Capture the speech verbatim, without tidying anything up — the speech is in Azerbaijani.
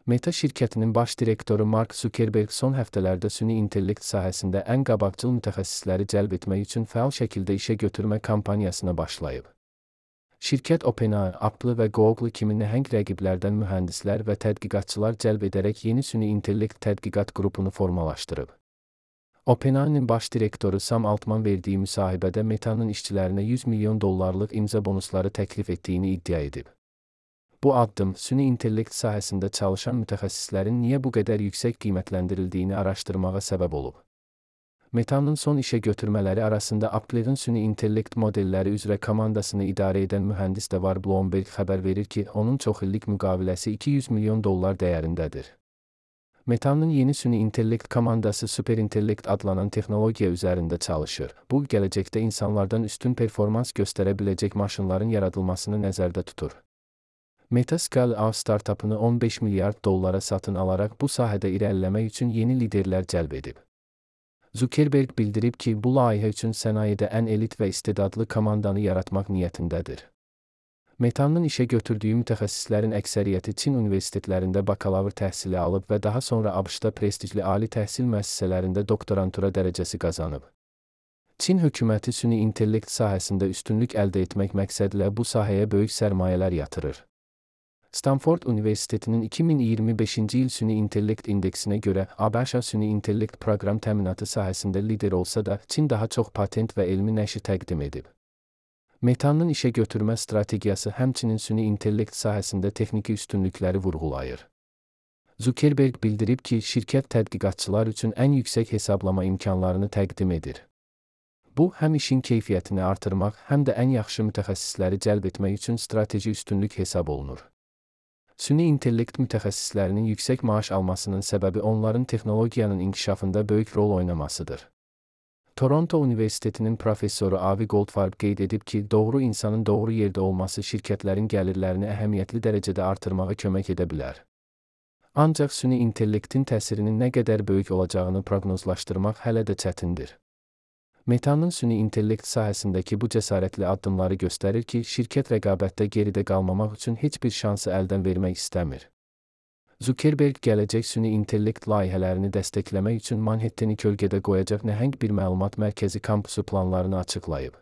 Meta şirkətinin baş direktoru Mark Zuckerberg son həftələrdə süni intellekt sahəsində ən qabaqcıl mütəxəssisləri cəlb etmək üçün fəal şəkildə işə götürmə kampaniyasına başlayıb. Şirkət OpenAI, Apple və Google kimi nəhəng rəqiblərdən mühəndislər və tədqiqatçılar cəlb edərək yeni süni intellekt tədqiqat qrupunu formalaşdırıb. OpenAI-nin baş direktoru Sam Altman verdiyi müsahibədə Meta'nın işçilərinə yüz milyon dollarlıq imza bonusları təklif etdiyini iddia edib. Bu addım, süni intellekt sahəsində çalışan mütəxəssislərin niyə bu qədər yüksək qiymətləndirildiyini araşdırmağa səbəb olub. Meta'nın son işə götürmələri arasında Apple'ın süni intellekt modelləri üzrə komandasını idarə edən mühəndis də var. Bloomberg xəbər verir ki, onun çoxillik müqaviləsi iki yüz milyon dollar dəyərindədir. Meta'nın yeni süni intellekt komandası Superintellect adlanan texnologiya üzərində çalışır. Bu, gələcəkdə insanlardan üstün performans göstərə biləcək maşınların yaradılmasını nəzərdə tutur. Meta Scale-up startupını on beş milyard dollara satın alaraq bu sahədə irəliləmək üçün yeni liderlər cəlb edib. Zuckerberg bildirib ki, bu layihə üçün sənayedə ən elit və istedadlı komandanı yaratmaq niyyətindədir. Meta'nın işə götürdüyü mütəxəssislərin əksəriyyəti Çin universitetlərində bakalavr təhsili alıb və daha sonra ABŞ-da prestijli ali təhsil müəssisələrində doktorantura dərəcəsi qazanıb. Çin hökuməti süni intellekt sahəsində üstünlük əldə etmək məqsədilə bu sahəyə böyük sərmayələr yatırır. Stanford Universitetinin iki min iyirmi beşinci il süni intellekt indeksinə görə ABŞ süni intellekt proqram təminatı sahəsində lider olsa da, Çin daha çox patent və elmi nəşr təqdim edib. Meta'nın işə götürmə strategiyası həmçinin süni intellekt sahəsində texniki üstünlükləri vurğulayır. Zuckerberg bildirib ki, şirkət tədqiqatçılar üçün ən yüksək hesablama imkanlarını təqdim edir. Bu, həm işin keyfiyyətini artırmaq, həm də ən yaxşı mütəxəssisləri cəlb etmək üçün strateji üstünlük hesab olunur. Süni intellekt mütəxəssislərinin yüksək maaş almasının səbəbi onların texnologiyanın inkişafında böyük rol oynamasıdır. Toronto Universitetinin professoru Avi Goldfarb qeyd edib ki, doğru insanın doğru yerdə olması şirkətlərin gəlirlərini əhəmiyyətli dərəcədə artırmağa kömək edə bilər. Ancaq süni intellektin təsirinin nə qədər böyük olacağını proqnozlaşdırmaq hələ də çətindir. Meta'nın süni intellekt sahəsindəki bu cəsarətli addımları göstərir ki, şirkət rəqabətdə geridə qalmamaq üçün heç bir şansı əldən vermək istəmir. Zuckerberg gələcək süni intellekt layihələrini dəstəkləmək üçün Manhattani kölgədə qoyacaq nəhəng bir məlumat mərkəzi kampusu planlarını açıqlayıb.